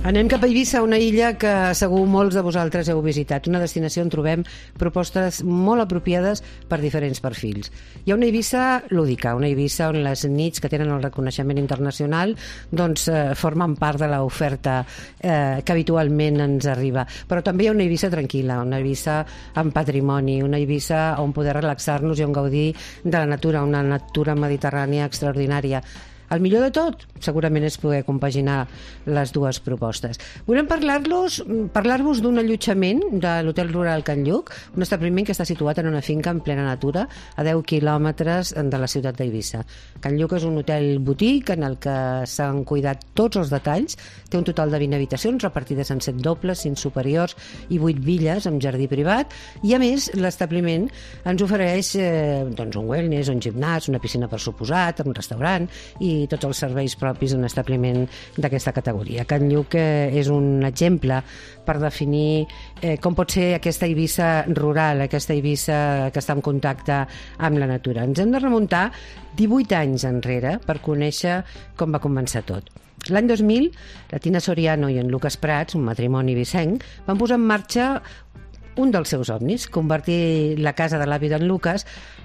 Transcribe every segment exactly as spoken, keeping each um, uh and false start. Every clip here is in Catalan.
Anem cap a Eivissa, una illa que segur molts de vosaltres heu visitat, una destinació on trobem propostes molt apropiades per diferents perfils. Hi ha una Eivissa lúdica, una Eivissa on les nits que tenen el reconeixement internacional doncs, eh, formen part de l'oferta eh, que habitualment ens arriba. Però també hi ha una Eivissa tranquil·la, una Eivissa amb patrimoni, una Eivissa on poder relaxar-nos i on gaudir de la natura, una natura mediterrània extraordinària. El millor de tot, segurament, és poder compaginar les dues propostes. Volem parlar-los, parlar-vos d'un allotjament de l'Hotel Rural Can Lluc, un establiment que està situat en una finca en plena natura, a deu quilòmetres de la ciutat d'Eivissa. Can Lluc és un hotel boutique en el que s'han cuidat tots els detalls, té un total de vint habitacions repartides en set dobles, cinc superiors i vuit villes amb jardí privat, i a més l'establiment ens ofereix eh, doncs un wellness, un gimnàs, una piscina per suposat, un restaurant i tots els serveis propis d'un establiment d'aquesta categoria. Can Lluc eh, és un exemple per definir eh, com pot ser aquesta Eivissa rural, aquesta Eivissa que està en contacte amb la natura. Ens hem de remuntar divuit anys enrere per conèixer com va començar tot. L'any dos mil, la Tina Soriano i en Lucas Prats, un matrimoni vicenc, van posar en marxa un dels seus somnis, convertir la casa de l'avi d'en Lucas,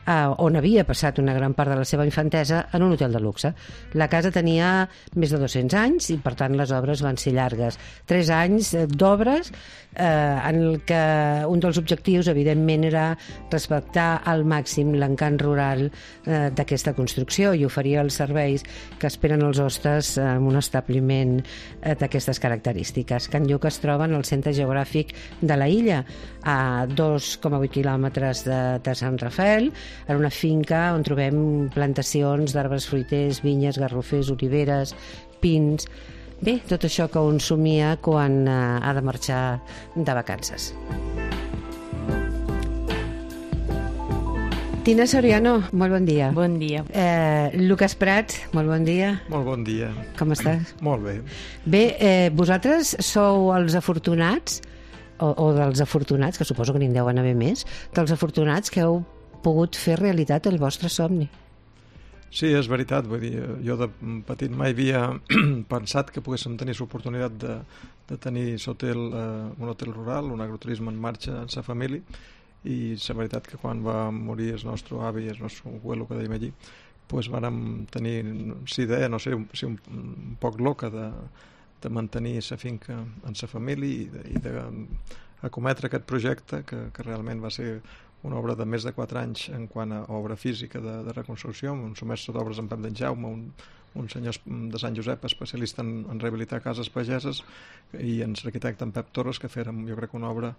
eh, on havia passat una gran part de la seva infantesa, en un hotel de luxe. La casa tenia més de dos-cents anys i, per tant, les obres van ser llargues. Tres anys d'obres eh, en el que un dels objectius, evidentment, era respectar al màxim l'encant rural eh, d'aquesta construcció i oferir els serveis que esperen els hostes en un establiment eh, d'aquestes característiques. Can Lluc es troba en el centre geogràfic de la illa, a dos coma vuit quilòmetres de, de Sant Rafael, en una finca on trobem plantacions d'arbres fruiters, vinyes, garrofers, oliveres, pins... Bé, tot això que un somia quan eh, ha de marxar de vacances. Tina Soriano, molt bon dia. Bon dia. Eh, Lucas Prats, molt bon dia. Molt bon dia. Com estàs? Molt bé. Bé, eh, vosaltres sou els afortunats, o, o dels afortunats, que suposo que n'hi deuen haver més, dels afortunats que heu pogut fer realitat el vostre somni. Sí, és veritat. Vull dir, jo de petit mai havia pensat que poguéssim tenir l'oportunitat de, de tenir hotel, eh, un hotel rural, un agroturisme en marxa en sa família, i és veritat que quan va morir el nostre avi i el nostre abuelo, que dèiem allí, pues vàrem tenir la idea, no sé, si un, un poc loca de, de mantenir la finca en sa família i de, i de acometre aquest projecte que, que realment va ser una obra de més de quatre anys en quant a obra física de, de reconstrucció, un mestre d'obres en Pep d'en Jaume, un, un senyor de Sant Josep especialista en, en rehabilitar cases pageses, i en l'arquitecte en Pep Torres, que fèrem, jo crec, una obra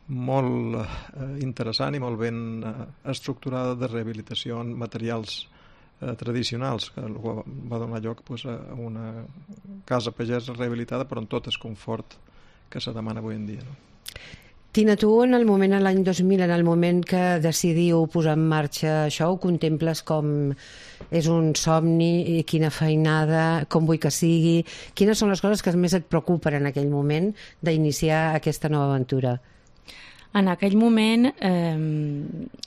molt eh, interessant i molt ben eh, estructurada de rehabilitació en materials eh, tradicionals, que va donar lloc pues, a una casa pagesa rehabilitada però amb tot el confort que se demana avui en dia, no? Tina, tu en el moment, l'any dos mil, en el moment que decidiu posar en marxa això, ho contemples com és un somni, i quina feinada, com vull que sigui, quines són les coses que més et preocupen en aquell moment d'iniciar aquesta nova aventura? En aquell moment eh,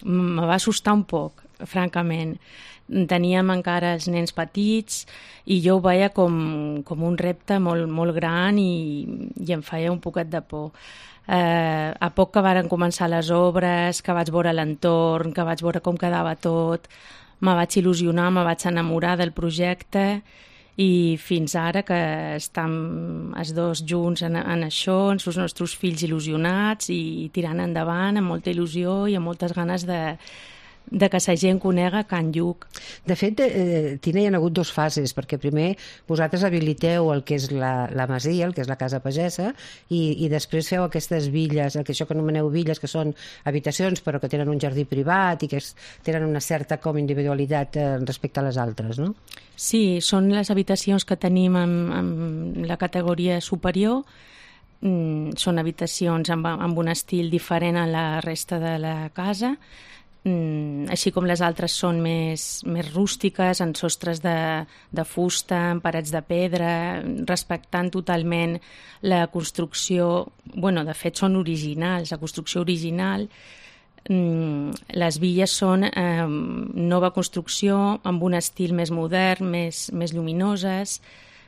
me va assustar un poc, francament. Teníem encara els nens petits i jo ho veia com, com un repte molt, molt gran i, i em feia un poquet de por. Eh, a poc que varen començar les obres, que vaig veure l'entorn, que vaig veure com quedava tot, me vaig il·lusionar, me vaig enamorar del projecte i fins ara que estem els dos junts en, en això, amb els nostres fills il·lusionats i tirant endavant amb molta il·lusió i amb moltes ganes de de que la gent conega Can Lluc. De fet, eh, Tina, hi ha hagut dues fases, perquè primer vosaltres habiliteu el que és la, la masia, el que és la casa pagesa, i, i després feu aquestes villes, el que això que anomeneu villes, que són habitacions però que tenen un jardí privat i que es, tenen una certa com individualitat eh, respecte a les altres, no? Sí, són les habitacions que tenim en, en la categoria superior. Mm, són habitacions amb, amb un estil diferent a la resta de la casa, Mm, així com les altres són més, més rústiques, en sostres de, de fusta, en parets de pedra, respectant totalment la construcció. Bueno, de fet són originals, la construcció original. Mm, les villes són eh, nova construcció amb un estil més modern, més, més lluminoses,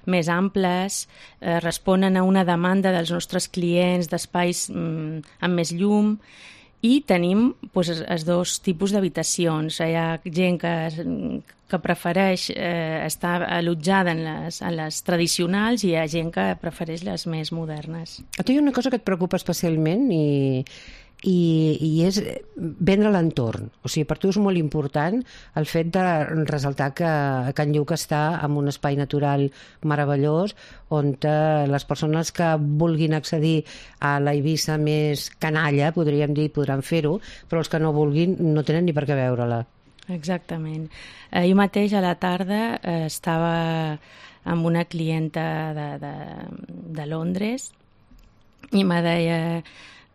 més amples, eh, responen a una demanda dels nostres clients d'espais mm, amb més llum, i tenim pues, els dos tipus d'habitacions. Hi ha gent que, que prefereix eh, estar allotjada en les, en les tradicionals i hi ha gent que prefereix les més modernes. A tu hi ha una cosa que et preocupa especialment i, i, i és vendre l'entorn. O sigui, per tu és molt important el fet de ressaltar que Can Lluc està en un espai natural meravellós on les persones que vulguin accedir a la Eivissa més canalla, podríem dir, podran fer-ho, però els que no vulguin no tenen ni per què veure-la. Exactament. Eh, jo mateix a la tarda eh, estava amb una clienta de, de, de Londres i me deia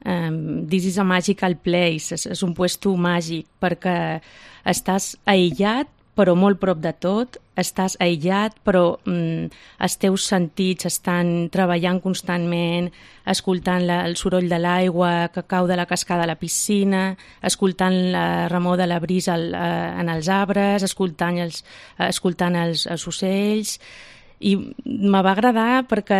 um, this is a magical place, és, és un puesto màgic perquè estàs aïllat però molt prop de tot, estàs aïllat, però mm, els teus sentits estan treballant constantment, escoltant la, el soroll de l'aigua que cau de la cascada a la piscina, escoltant la remor de la brisa al, eh, en els arbres, escoltant els, escoltant els, els ocells. I me va agradar perquè,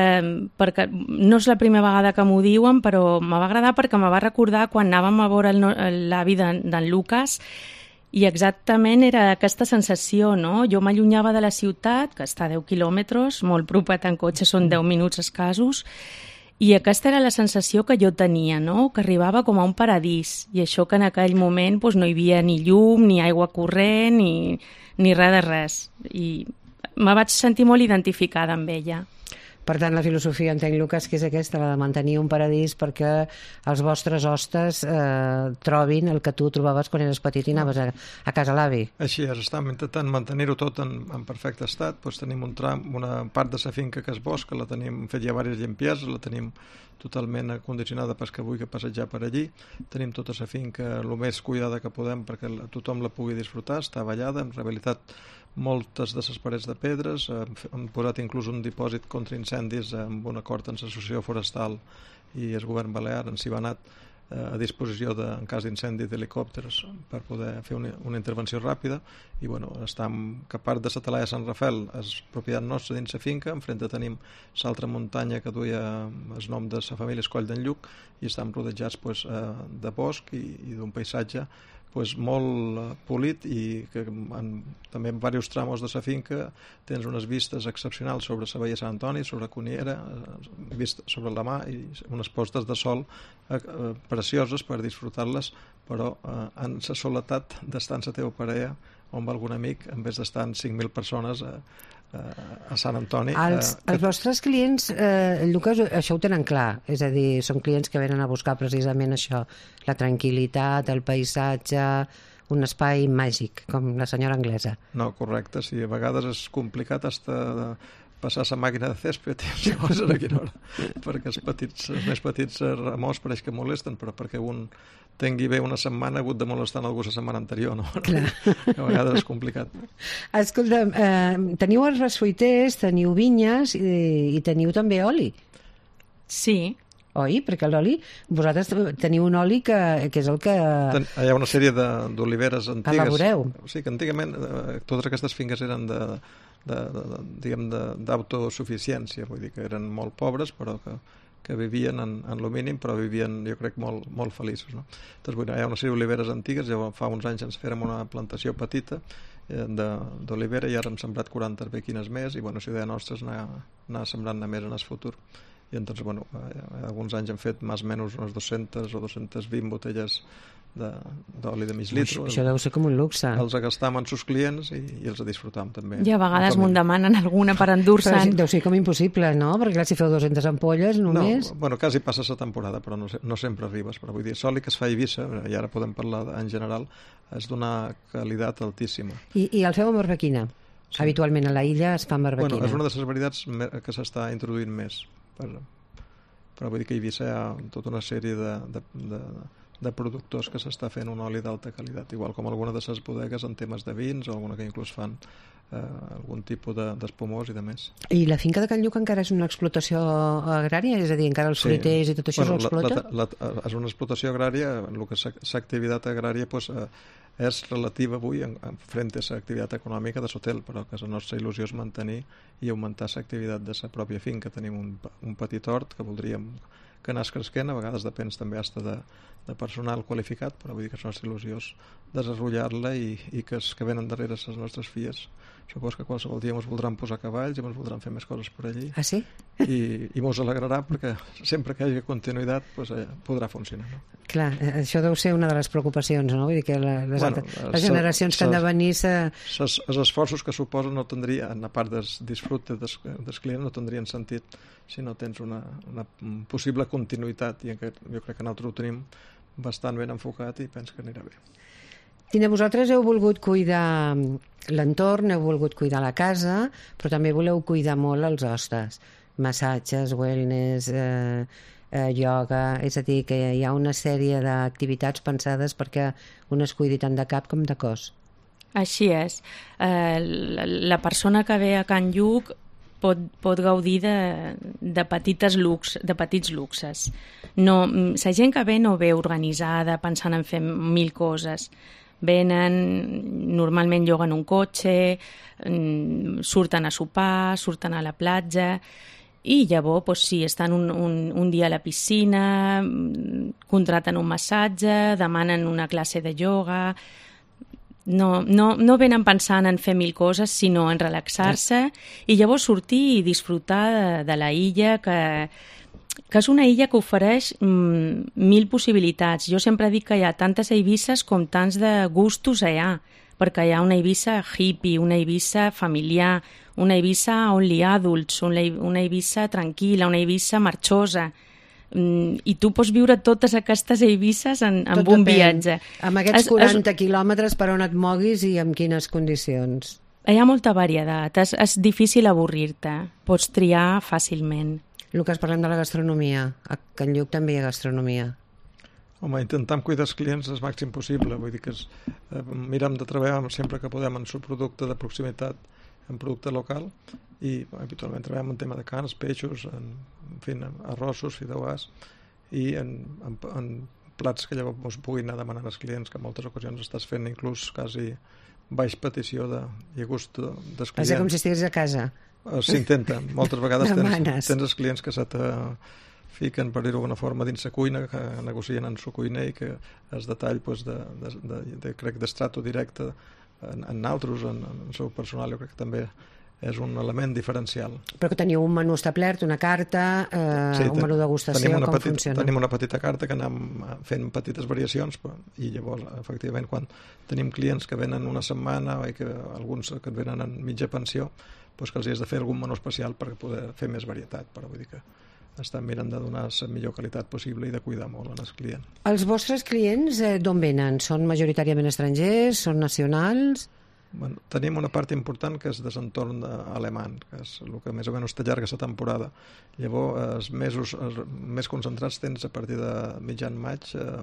perquè no és la primera vegada que m'ho diuen, però me va agradar perquè me va recordar quan anàvem a veure l'avi d'en Lucas. I exactament era aquesta sensació, no? Jo m'allunyava de la ciutat, que està a deu quilòmetres, molt propet en cotxe, són deu minuts escassos, i aquesta era la sensació que jo tenia, no? Que arribava com a un paradís, i això que en aquell moment doncs, no hi havia ni llum, ni aigua corrent, ni, ni res de res. I me vaig sentir molt identificada amb ella. Per tant, la filosofia, entenc, Lucas, que és aquesta, la de mantenir un paradís perquè els vostres hostes eh, trobin el que tu trobaves quan eres petit i anaves a, a casa l'avi. Així és, estem intentant mantenir-ho tot en, en perfecte estat. Doncs tenim un tram, una part de la finca que és bosc, que la tenim fet ja diverses limpiezes, la tenim totalment acondicionada per que vulgui passejar per allí. Tenim tota la finca el més cuidada que podem perquè tothom la pugui disfrutar, està ballada, hem rehabilitat moltes de les parets de pedres, hem posat inclús un dipòsit contra incendis amb un acord amb l'associació forestal i el govern balear, ens hi va anar a disposició de, en cas d'incendi d'helicòpters per poder fer una, una intervenció ràpida i bueno, estem, que part de la Talaia de Sant Rafael és propietat nostra dins la finca, enfrente tenim l'altra muntanya que duia el nom de la família Escoll d'en Lluc i estem rodejats pues, de bosc i, i d'un paisatge pues, molt polit i que en, també en diversos tramos de la finca tens unes vistes excepcionals sobre la Baia Sant Antoni, sobre Cuniera, vista sobre la mà i unes postes de sol eh, eh, precioses per disfrutar-les, però eh, en la soledat d'estar en la teva parella on va algun amic, en vez d'estar en cinc mil persones eh, a Sant Antoni. Els, eh, els vostres clients, eh, Lucas, això ho tenen clar, és a dir, són clients que venen a buscar precisament això, la tranquil·litat, el paisatge, un espai màgic, com la senyora anglesa. No, correcte, sí, a vegades és complicat hasta passar la màquina de césped i llavors a quina hora, perquè els, petits, els més petits remors pareix que molesten, però perquè un tingui bé una setmana ha hagut de molestar algú la setmana anterior, no? Clar. A vegades és complicat. Escolta, eh, teniu els fruiters, teniu vinyes i, i teniu també oli. Sí. Oi? Perquè l'oli, vosaltres teniu un oli que, que és el que... Ten, hi ha una sèrie d'oliveres antigues. Elaboreu. Sí, que antigament eh, totes aquestes finques eren de, de, de, de, diguem, d'autosuficiència, vull dir que eren molt pobres, però que que vivien en, en lo mínim, però vivien, jo crec, molt, molt feliços. No? Doncs, bueno, hi ha una sèrie d'oliveres antigues, ja fa uns anys ens fèrem una plantació petita eh, d'olivera i ara hem sembrat quaranta arbequines més i, bueno, la idea nostra és anar, anar sembrant-ne més en el futur. I entonces, bueno, eh, alguns anys hem fet més o menys unes dues-centes o dues-centes vint botelles d'oli de, de mig litre. Això deu ser com un luxe. Els agastam amb els clients i, i els disfrutam també. I a vegades m'ho demanen alguna per endur-se'n. Deu ser com impossible, no? Perquè clar, si feu dues-centes ampolles només... No, bueno, quasi passa la temporada, però no, no sempre arribes. Però vull dir, l'oli que es fa a Eivissa, i ara podem parlar en general, és d'una qualitat altíssima. I, i el feu amb arbequina? Sí. Habitualment a la illa es fa amb arbequina. Bueno, és una de les varietats que s'està introduint més. Per, però vull dir que a Eivissa hi ha tota una sèrie de... de, de de productors que s'està fent un oli d'alta qualitat, igual com alguna de les bodegues en temes de vins o alguna que inclús fan eh, algun tipus d'espumós de, i de més. I la finca de Can Lluc encara és una explotació agrària? És a dir, encara els fruiters sí. i tot això bueno, s'explota? La, la, la, és una explotació agrària, el que és l'activitat agrària pues, eh, és relativa avui en, en front a l'activitat econòmica de l'hotel, però que la nostra il·lusió és mantenir i augmentar l'activitat de la pròpia finca. Tenim un, un petit hort que voldríem que anés cresquent, a vegades depèn també hasta de, de personal qualificat, però vull dir que la nostra il·lusió és desenvolupar-la i, i que els que venen darrere les nostres filles supos que qualsevol dia ens voldran posar cavalls i ens voldran fer més coses per allí. Ah, sí? I, i mos alegrarà perquè sempre que hi hagi continuïtat pues, eh, podrà funcionar. No? Clar, això deu ser una de les preocupacions, no? Vull dir que la, les, bueno, altres, les generacions sa, que han de venir... Sa... Ses, els esforços que suposen no tindrien, a part del disfrute dels, dels clients, no tindrien sentit si no tens una, una possible continuïtat, i que jo crec que nosaltres ho tenim bastant ben enfocat i penso que anirà bé. Tina, vosaltres heu volgut cuidar l'entorn, heu volgut cuidar la casa, però també voleu cuidar molt els hostes. Massatges, wellness, eh, eh, ioga... És a dir, que hi ha una sèrie d'activitats pensades perquè un es cuidi tant de cap com de cos. Així és. Eh, la, la persona que ve a Can Lluc pot, pot gaudir de, de, petites lux, de petits luxes. No, la gent que ve no ve organitzada, pensant en fer mil coses. Venen, normalment lloguen un cotxe, surten a sopar, surten a la platja i llavors, doncs, sí, estan un, un, un dia a la piscina, contraten un massatge, demanen una classe de ioga... No, no, no venen pensant en fer mil coses, sinó en relaxar-se i llavors sortir i disfrutar de, de la illa, que, que és una illa que ofereix mm, mil possibilitats. Jo sempre dic que hi ha tantes Eivisses com tants de gustos allà, perquè hi ha una Eivissa hippie, una Eivissa familiar, una Eivissa only adults, una, una Eivissa tranquil·la, una Eivissa marxosa. I tu pots viure totes aquestes Eivisses en, en un viatge. Amb aquests es, quaranta es... quilòmetres per on et moguis i amb quines condicions? Hi ha molta varietat, és, és difícil avorrir-te, pots triar fàcilment. Lucas, parlem de la gastronomia. A Can Lluc també hi ha gastronomia. Home, intentam cuidar els clients el màxim possible, vull dir que es, eh, mirem de treballar sempre que podem en subproducte de proximitat, en producte local, i habitualment treballem en tema de carns, peixos, en, en fi, arrossos, fideuàs, i en, en, en plats que llavors ens puguin anar demanant als clients, que en moltes ocasions estàs fent inclús quasi baix petició de, i gust dels clients. És com si estigués a casa. S'intenta. Moltes vegades tens, tens els clients que se te fiquen, per dir-ho d'alguna forma, dins la cuina, que negocien en la cuina i que el detall pues, de, de, de, de, crec, d'estrato directe en, en altres, en, en el seu personal, jo crec que també és un element diferencial. Però que teniu un menú establert, una carta, eh, sí, un menú de degustació, com petita, funciona? Tenim una petita carta que anem fent petites variacions, però, i llavors, efectivament, quan tenim clients que venen una setmana i que alguns que venen en mitja pensió, doncs que els has de fer algun menú especial per poder fer més varietat, però vull dir que estan mirant de donar la millor qualitat possible i de cuidar molt en el client. Els vostres clients eh, d'on venen? Són majoritàriament estrangers? Són nacionals? Bueno, tenim una part important que és de l'entorn alemany, que és el que més o menys t'allarga la temporada. Llavors, els mesos els més concentrats tens a partir de mitjan maig, eh,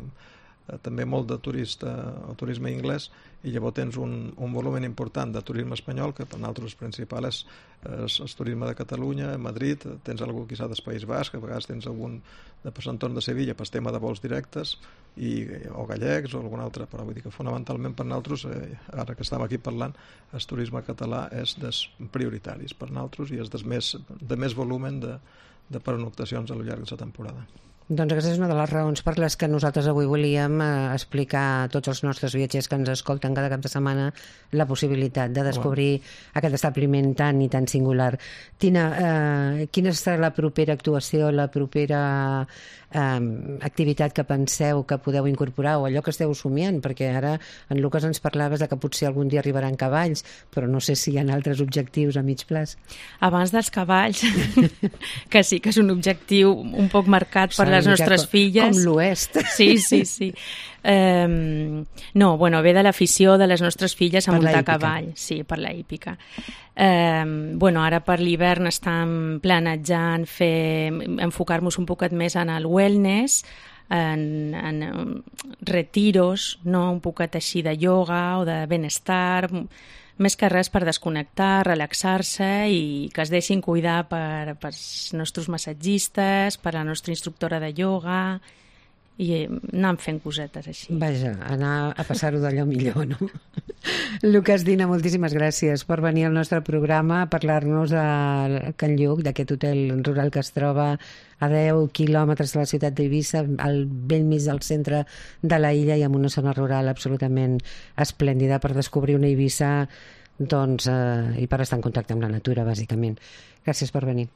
també molt de turista o turisme anglès, i llavors tens un, un volum important de turisme espanyol, que per nosaltres principal és el turisme de Catalunya, Madrid, tens algú quizà del País Basc, a vegades tens algun de l'entorn de Sevilla per tema de vols directes, i, o gallecs o algun altre, però vull dir que fonamentalment per nosaltres, eh, ara que estem aquí parlant, el turisme català és dels prioritaris per nosaltres i és dels més, de més volumen de, de pernoctacions a lo llarg de la temporada. Doncs aquesta és una de les raons per les que nosaltres avui volíem eh, explicar a tots els nostres viatgers que ens escolten cada cap de setmana la possibilitat de descobrir wow. aquest establiment tan i tan singular. Tina, eh, quina serà la propera actuació, la propera eh, activitat que penseu que podeu incorporar o allò que esteu somiant? Perquè ara en Lucas ens parlaves de que potser algun dia arribaran cavalls, però no sé si hi ha altres objectius a mig plaç. Abans dels cavalls, que sí que és un objectiu un poc marcat per les nostres com, filles. Com l'oest. Sí, sí, sí. Um, no, bueno, ve de l'afició de les nostres filles a per muntar a cavall. Sí, per la hípica. Um, bueno, ara per l'hivern estem planejant fer, enfocar-nos un poquet més en el wellness, en, en retiros, no? Un poquet així de ioga o de benestar, més que res per desconnectar, relaxar-se i que es deixin cuidar per, per els nostres massatgistes, per la nostra instructora de ioga, i anar fent cosetes així. Vaja, anar a passar-ho d'allò millor, no? Lucas Dina, moltíssimes gràcies per venir al nostre programa a parlar-nos de Can Lluc, d'aquest hotel rural que es troba a deu quilòmetres de la ciutat d'Eivissa, al bell mig del centre de la illa i en una zona rural absolutament esplèndida per descobrir una Eivissa, doncs, eh, i per estar en contacte amb la natura, bàsicament. Gràcies per venir.